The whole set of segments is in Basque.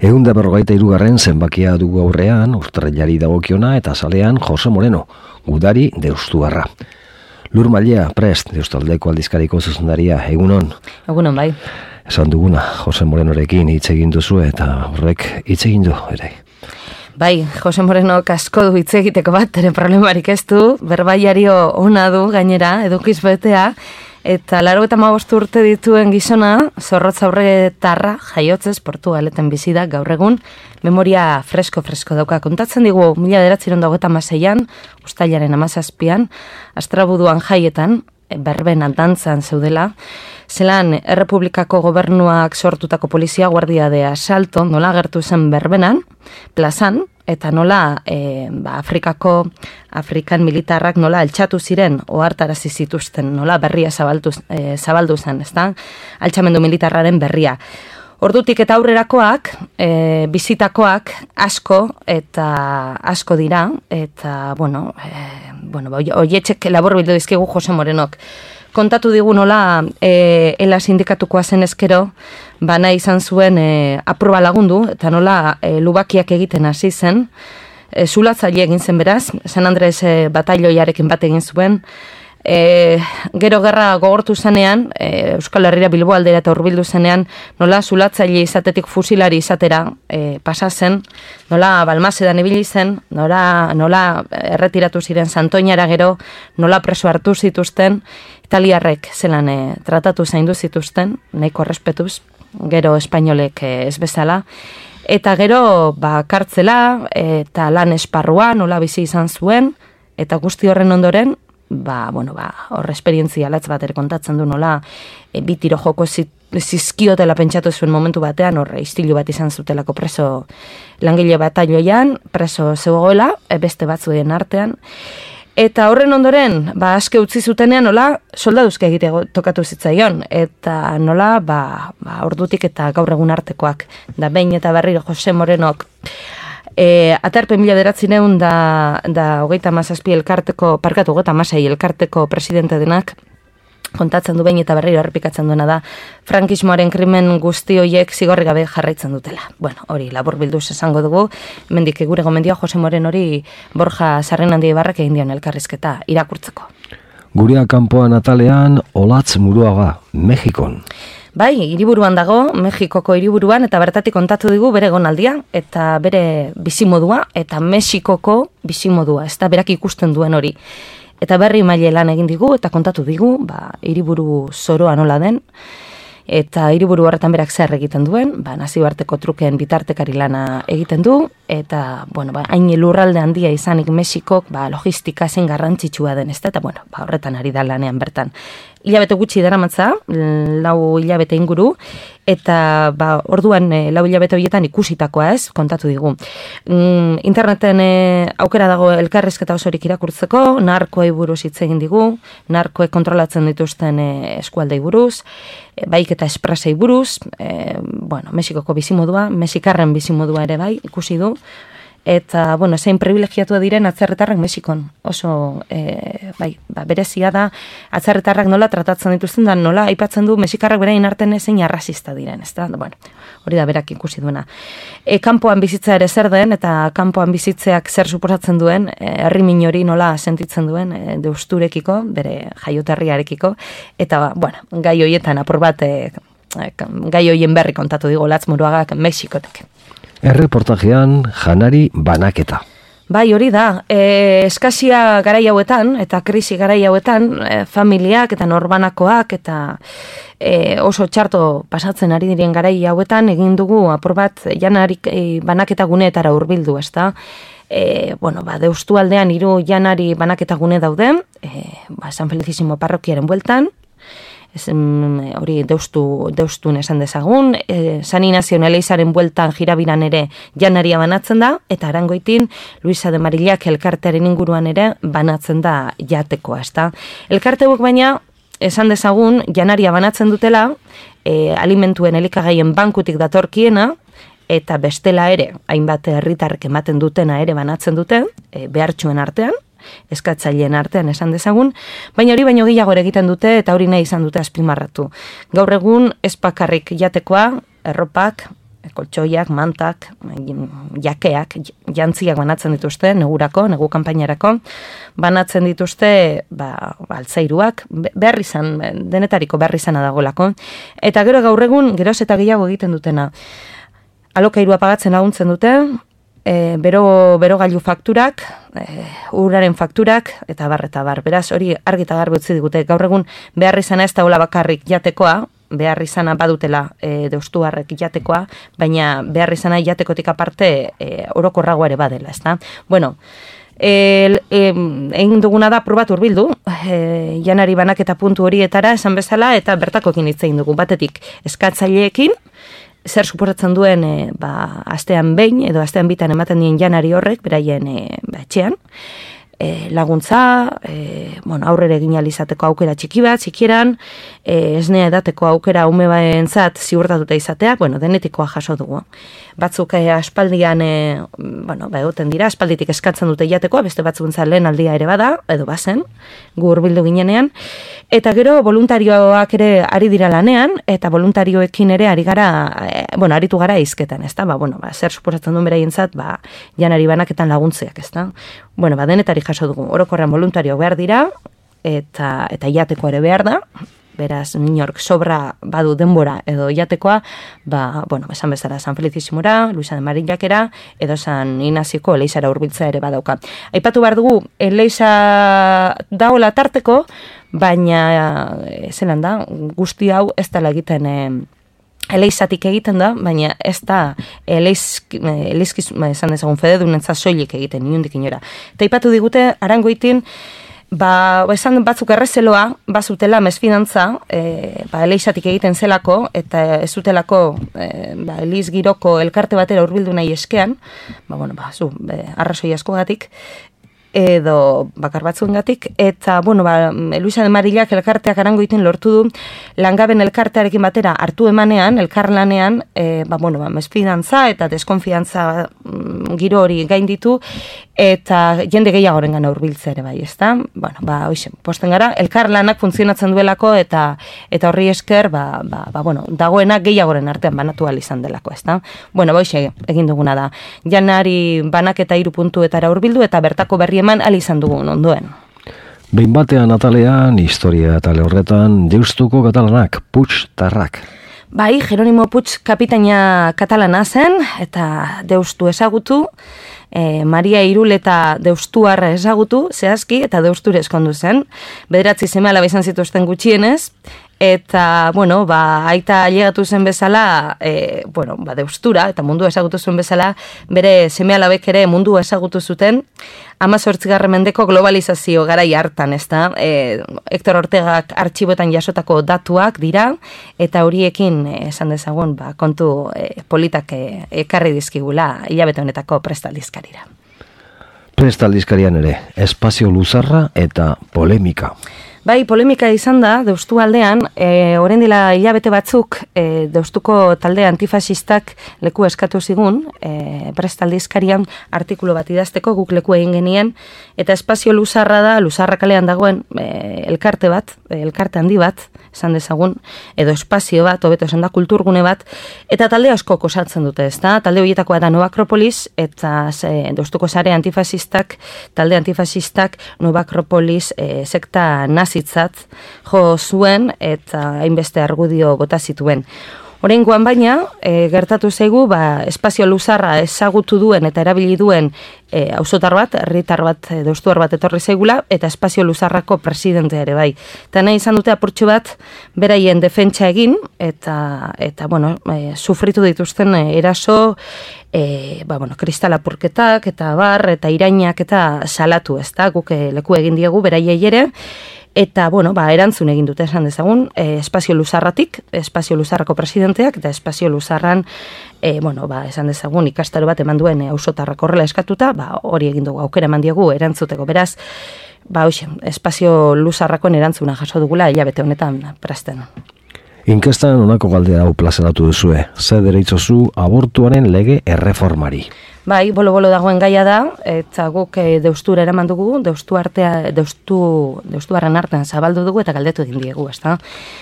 153. zenbakia dugu aurrean, urtarrilari dagokiona eta zalean Jose Moreno, gudari deustuarra. Lur Mailea, prest, Deustaldeko aldizkariko zuzendaria, egunon? Egunon, bai. Esan duguna, Jose Morenorekin hitz egin duzu eta horrek hitz egin du, ere. Bai, Jose Moreno asko du hitz egiteko bat, ere problemarik ez du, berbaiario ona du gainera, edukiz betea, eta 95 urte dituen gizona, zorrotz aurretarra, jaiotzez, Portugaleten bizi da gaur egun, memoria fresko dauka. Kontatzen digu, 1926an, uztailaren 17an, Astrabuduan jaietan, berbenan dantzan zeudela, zelan Errepublikako gobernuak sortutako polizia guardia de asalto, nola agertu zen berbenan, plazan, eta nola Afrikan militarrak nola altxatu ziren, ohartarazi zituzten, nola berria zabaldu zen, ezta? Altxamendu militarraren berria. Ordutik eta aurrerakoak, bizitakoak asko dira, eta, oietxek labur bildu dizkigu Jose Morenok. Kontatu digu nola ela sindikatukoa zen ezkero, bana izan zuen aproba lagundu, eta nola lubakiak egiten hasi zen, zulatzaile egin zen beraz, San Andres batailoiarekin bat egin zuen, gero gerra gogortu zenean, Euskal Herrira Bilbo aldera eta hurbildu zenean, nola zulatzaile izatetik fusilari izatera pasa zen, nola Balmasedan ibili zen, nola erretiratu ziren Santoñara gero, nola preso hartu zituzten, italiarrek zelan tratatu zaindu zituzten, nahiko errespetuz, gero espainolek ez bezala, eta gero kartzela eta lan esparrua nola bizi izan zuen, eta guzti horren ondoren, hor esperientzia latz bat ere kontatzen du nola, bi tiro joko zizkiotela pentsatu zuen momentu batean, hor istilu bat izan zutelako preso langile batailoian, preso zegoela, beste batzuen artean, eta horren ondoren, aske utzi zutenean, nola, soldaduzke egite tokatu zitzaion, eta nola, ordutik eta gaur egun artekoak, da behin eta berriro Jose Morenok, atarpe 1900 da hogeita hamazazpi elkarteko, parkatu hogeita hamasei elkarteko presidente denak, kontatzen du behin eta berriro errepikatzen duena da, frankismoaren krimen guzti horiek zigorri gabe jarraitzen dutela. Bueno, hori labur bilduz esango dugu, mendik gure gomendioa Jose Morenori Borja Sarrenandi Ibarrak egin dion elkarrizketa irakurtzeko. Gurea kanpoan atalean, Olatz Muruaga, Mexikon. Bai, hiriburuan dago, Mexikoko hiriburuan, eta bertatik kontatu digu bere gonaldia, eta bere bizimodua, eta Mexikoko bizimodua, ez da berak ikusten duen hori. Eta berri maile lan egin digu, eta kontatu digu, hiriburu zoroa nola den, eta hiriburu horretan berak zer egiten duen, nazioarteko trukeen bitartekari lana egiten du, eta, hain lurralde handia izanik Mexikok, logistika zen garrantzitsua den, ez da, eta, horretan ari da lanean bertan. Hilabete gutxi daramatza, 4 hilabete inguru, eta orduan 4 hilabete horietan ikusitakoa ez, kontatu digu. Interneten aukera dago elkarrizketa osorik irakurtzeko, narkoei buruz hitz egin digu, narkoek kontrolatzen dituzten eskualdei buruz, baik eta esprasei buruz, Mexikoko bizimodua, mexikarren bizimodua ere bai, ikusi du, eta, zein privilegiatua diren atzerritarrak Mexikon. Oso, berezia da, atzerritarrak nola tratatzen dituzten da, nola aipatzen du Mexikarrak berain artean zein arrazista diren, ez da? Hori da berak ikusi duena. Kanpoan bizitza ere zer den, eta kanpoan bizitzeak zer suposatzen duen, herrimin hori nola sentitzen duen, deusturekiko, bere jaioterriarekiko, eta, gai horietan apur bat, gai horien berri kontatu digu Olatz Muruagak Mexikotek. Erreportajean janari banaketa. Bai, hori da. Eskasia garai hauetan, eta krisi garai hauetan, familiak eta norbanakoak, eta oso txarto pasatzen ari diren garai hauetan, egin dugu apur bat janari banaketa guneetara hurbildu, ez da? Deustu aldean 3 janari banaketa gune daude, San Felicísimo parrokiaren bueltan, hori deustun esan dezagun, San Inazio Eleizaren bueltan jirabiran ere janaria banatzen da, eta Arangoitin Luisa de Marillak elkartearen inguruan ere banatzen da jatekoa, ezta? Elkarteuek baina, esan dezagun, janaria banatzen dutela, alimentuen elikagaien bankutik datorkiena, eta bestela ere, hainbat herritarrek ematen dutena ere banatzen dute, behartxuen artean, eskatzaileen artean esan dezagun, baina hori baino gehiago egiten dute eta hori nahi izan dute azpimarratu. Gaur egun ez bakarrik jatekoa, erropak, koltsoiak, mantak, jakeak, jantziak banatzen dituzte, negurako, negu kanpainarako, banatzen dituzte, altzairuak, behar izan, denetariko behar izana dagoelako. Eta gero gaur egun, geroz eta gehiago egiten dutena. Alokairua pagatzen laguntzen dute, bero gailu fakturak, uraren fakturak, eta bar. Beraz, hori argi eta garbi utzi digute. Gaur egun behar izana ez daula bakarrik jatekoa, behar izana badutela deustuarrek jatekoa, baina behar izana jatekotik aparte orokorrago ere badela, ezta? Bueno, egin duguna da probat hurbildu, janari banaketa puntu horietara esan bezala, eta bertakoekin hitz egin dugu, batetik eskatzaileekin, zer suposatzen duen astean behin edo astean bitan ematen dien janari horrek, beraien etxean, laguntza, aurrera egin alizateko aukera txiki bat, txikieran, esnea edateko aukera ume baentzat ziurtatuta izatea, denetikoa jaso dugu. Batzuk aspaldian, egoten dira, aspalditik eskatzen dute jatekoa, beste batzuentzat lehen aldia ere bada, edo bazen, gu hurbildu ginenean, eta gero voluntarioak ere ari dira lanean, eta voluntarioekin ere aritu gara izketan, ezta? Zer suposatzen duen beraientzat, janari banaketan laguntzeak, ezta? Denetari jaso dugu, orokorrean voluntario behar dira, eta jateko ere behar da, beraz, inork sobra badu denbora edo jatekoa, esan bezala San Felicisimora, Luisa de Marillakera, edo San Inazioko Eleizara hurbiltzea ere badauka. Aipatu behar dugu, Eleiza daola tarteko, baina, zelan da, guzti hau ez dela egiten Eleizatik egiten da, baina ez da Eleizkiz, esan dezagun, fededunentza soilik egiten, inundik inora. Eta aipatu digute, Arangoitin, esan batzuk errezeloa, bazutela mesfidantza, Eleizatik egiten zelako, eta ez zutelako Eleiz giroko elkarte batera hurbildu nahi eskean, arrazoi askogatik, edo bakar batzuengatik, eta, Luisa de Marillak elkarteak Arangoitin lortu du, langaben elkartearekin batera hartu emanean, elkarlanean, mesfidantza eta deskonfiantza giro hori gainditu, eta jende gehiagoren gana hurbiltzea ere bai, ezta? Posten gara, elkarlanak funtzionatzen duelako, eta horri esker, dagoena gehiagoren artean banatu ahal izan delako, ezta? Egin duguna da. Janari banaketa 3 puntuetara hurbildu, eta bertako berri eman ahal izan dugun ondoen. Behin batean atalean, historia atale horretan, deustuko katalanak, Puig-tarrak. Jeronimo Puig kapitaina katalana zen, eta deustu ezagutu, Maria Irul eta deustuarra ezagutu, zehazki, eta deusture eskondu zen. 9 seme-alaba izan zituzten gutxienez, eta, aita ailegatu zen bezala, deustura, eta mundu ezagutu zuen bezala, bere seme-alabek ere mundu ezagutu zuten, 18. mendeko globalizazio garai hartan, ezta? Hector Ortegak artxiboetan jasotako datuak dira, eta horiekin esan dezagun, kontu politak ekarri dizkigula hilabete honetako prestaldizkarira. Prestaldizkarian ere, espazio luzarra eta polemika. Polemika izan da, deustu aldean, orain dela hilabete batzuk, deustuko talde antifasistak leku eskatu zigun, prestaldizkarian artikulu bat idazteko, guk leku egin genien, eta espazio luzarra da, luzarra kalean dagoen elkarte handi bat, esan dezagun, edo espazio bat, hobeto esan da, kulturgune bat, eta talde asko osatzen dute, ezta? Talde horietakoa da Nova Akropolis, eta deustuko sare antifasistak, talde antifasistak, Nova Akropolis sekta nazitzat jo zuen, eta hainbeste argudio bota zituen. Oraingoan baina, gertatu zaigu, espazio luzarra ezagutu duen eta erabili duen auzotar bat, herritar bat, deustuar bat etorri zaigula, eta espazio luzarrako presidentea ere bai. Eta nahi izan dute apurtxo bat, beraien defentsa egin, eta sufritu dituzten eraso, kristalapurketak, eta eta irainak, eta salatu, ez da, guk leku egin diegu, beraiei ere, eta, erantzun egin dute esan dezagun, espazio luzarratik, espazio luzarrako presidenteak, eta espazio luzarran, esan dezagun, ikastaro bat eman duen auzotarrak horrela eskatuta, hori egin dugu, aukera eman diegu erantzuteko, beraz, espazio luzarrakoen erantzuna jaso dugula hilabete honetan presten. Inkestan honako galdera hau plazaratu duzue, ze deritzozu abortuaren lege erreformari? Bai, bolo-bolo dagoen gaia da, eta guk deustura eraman dugu, deustuaren artean zabaldu dugu eta galdetu egin diegu, ezta?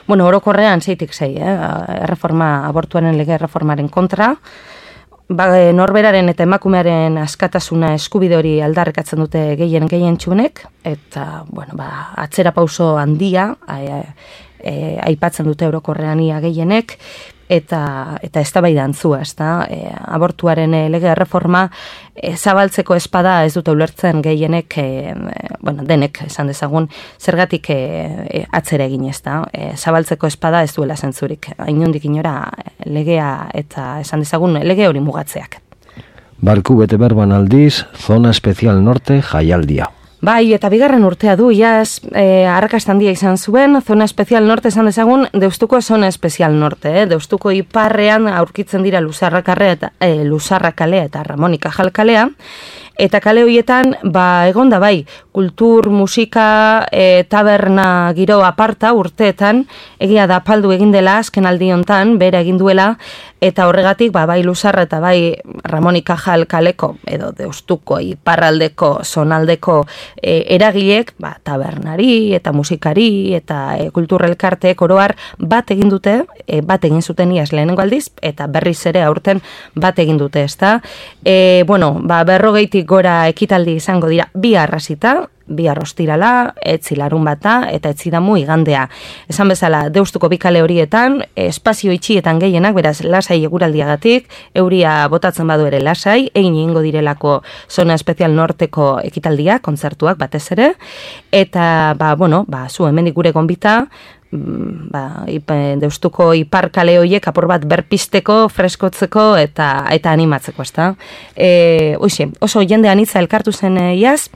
Bueno, orokorrean 6-6, abortuaren lege erreformaren kontra, norberaren eta emakumearen askatasuna eskubide hori aldarrikatzen dute gehien txunek, eta, bueno, atzera pauso handia, aipatzen dute orokorrean ia gehienek, eta eztabaida antzua, ezta? Abortuaren lege erreforma zabaltzeko espada ez dute ulertzen gehienek, denek esan dezagun, zergatik atzera egin, ezta? Zabaltzeko espada ez duela zentzurik. Inondik inora legea eta esan dezagun lege hori mugatzeak. Barku bete berban aldiz, Zona Espezial Norte jaialdia. Bai, eta bigarren urtea du, iaz, arrakasta handia izan zuen, Zona Espezial Norte esan dezagun, Deustuko Zona Espezial Norte, Deustuko iparrean aurkitzen dira Luzarrakalea eta Ramonika Jalkalea, eta kale horietan, egon da bai, kultur, musika, taberna giro aparta urteetan, egia da apaldu egin dela, azken aldi hontan, bera egin duela, eta horregatik, bai Luzarra eta bai Ramonika Jalkaleko, edo Deustuko iparraldeko, zonaldeko eragilek, tabernari eta musikari eta kulturrelkarteek oroar bat egin dute, bat egin zuten iaz lehenengo aldiz, eta berriz ere aurten bat egin dute, ezta? 40 gora ekitaldi izango dira bi arrasita, bihar ostirala, etzi larunbata eta etzi damu igandea. Esan bezala, Deustuko bikale horietan, espazio itxietan gehienak, beraz, lasai eguraldiagatik, euria botatzen badu ere lasai, egin egingo direlako Zona Espezial Norteko ekitaldia, kontzertuak batez ere, eta, zu hemendik gure gonbita, Deustuko ipar kale horiek apur bat berpisteko, freskotzeko eta animatzeko, ezta? Oso jende anitza elkartu zen iaz,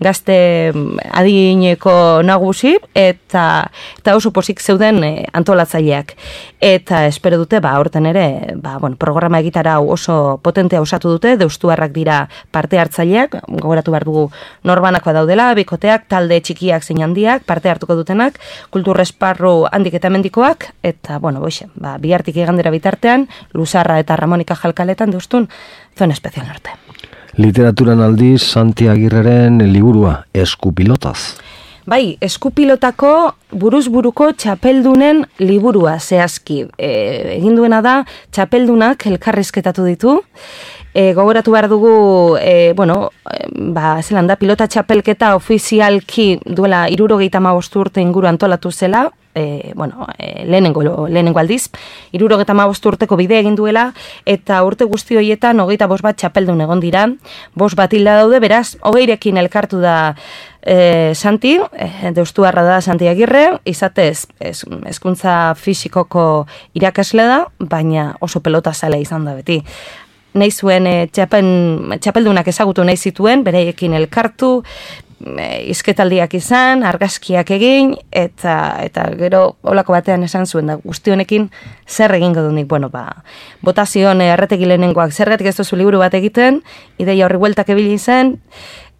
gazte adineko nagusi eta oso posik zeuden antolatzaileak. Eta espero dute, horten ere, programa egitara oso potentea osatu dute, deustuarrak dira parte hartzaileak, gogoratu behar dugu norbanakoa daudela, bikoteak, talde txikiak zein handiak, parte hartuko dutenak, kultur esparru handik eta mendikoak, eta, bihartik igandera bitartean, Luzarra eta Ramonika Jalkaletan deustun, Zona Espezial Norte. Literaturan aldiz, Santi Agirreren liburua, Eskupilotaz. Bai, Eskupilotako buruz-buruko txapeldunen liburua zehazki. Egin duena da, txapeldunak elkarrizketatu ditu. Gogoratu behar dugu, zelan da, pilota txapelketa ofizialki duela 75 urte inguru antolatu zela, lehenengo aldiz, 75 urteko bide egin duela, eta urte guzti horietan 25 bat txapeldun egon dira, 5 bat hilda daude, beraz, 20rekin elkartu da Santi, deustuarra da Santi Agirre, izatez hezkuntza fisikoko irakasle da, baina oso pelota zale izan da beti. Nahi zuen txapeldunak ezagutu nahi zituen, bereiekin elkartu, izketaldiak izan, argazkiak egin, eta gero olako batean esan zuen da guzti honekin zer egingo dunik. Botazion erretegi lehenengoak zergatik ez duzu liburu bat egiten, ideia horri bueltak ebili zen,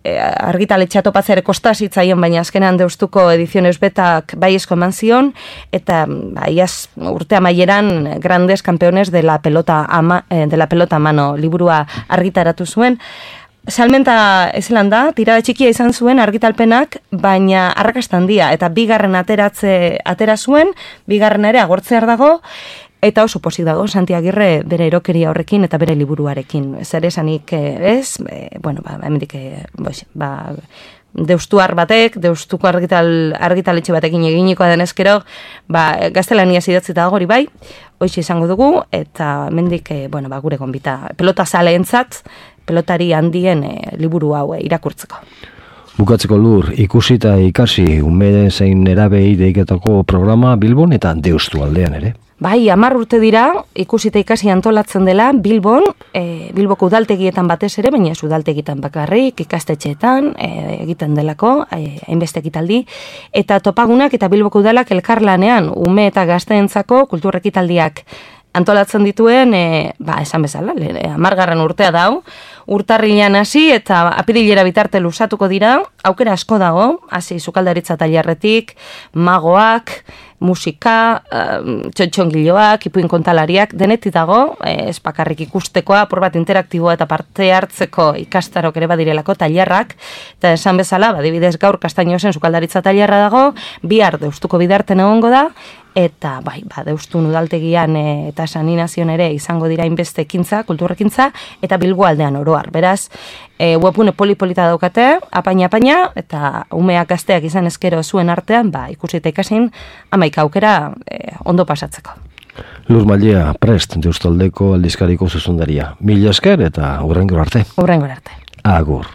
argitaletxea topatzeare kostazitzaien, baina azkenean Deustuko ediziones betak baiezko eman zion, eta iaz urte amaieran grandes campeones de la pelota a mano liburua argitaratu zuen. Salmenta ezelan da, tirada txikia izan zuen argitalpenak, baina arrakasta handia, eta bigarren atera zuen, bigarren ere agortzear dago, eta oso posik dago, Santi Agirre bere erokeria horrekin eta bere liburuarekin. Zer esanik ez, hemendik, deustuar batek, deustuko argitaletxe batekin eginikoa denezkero, gaztelania idatzita dago hori bai, hoxe izango dugu, eta hemendik, gure gonbita, pelota zaleentzat, pelotari handien liburu hau irakurtzeko. Bukatzeko Lur, ikusi eta ikasi, umede zein erabei deiketako programa Bilbon eta Deustu aldean ere. Bai, 10 urte dira, ikusi eta ikasi antolatzen dela Bilbon, Bilboko udaltegietan batez ere, baina ez udaltegietan bakarrik, ikastetxeetan, egiten delako, hainbeste ekitaldi, eta topagunak eta Bilboko udalak elkarlanean, ume eta gazteentzako kultur ekitaldiak antolatzen dituen, esan bezala, 10. urtea dau, urtarrilean hasi eta apirilera bitarte luzatuko dira, aukera asko dago, hasi sukaldaritza tailerretik, magoak, musika, txotxongiloak, ipuin kontalariak, denetik dago, ez bakarrik ikustekoa, apur bat interaktiboa eta parte hartzeko ikastarok ere badirelako tailerrak, eta esan bezala, adibidez gaur Kastainosen sukaldaritza tailerra dago, bihar Deustuko Bidarten egongo da, eta Deustun udaltegian eta Saninazion ere izango dira inbeste ekintza, kulturrekintza, eta Bilbo aldean oroar. Beraz, webune polipolita daukate, apaina, eta umeak gazteak izan ezkero zuen artean, ikusi eta ikasin, 11 aukera ondo pasatzeko. Lur Mallea, prest, Deustaldeko aldizkariko zuzendaria. Mila esker eta hurrengora arte. Hurrengora arte. Agur.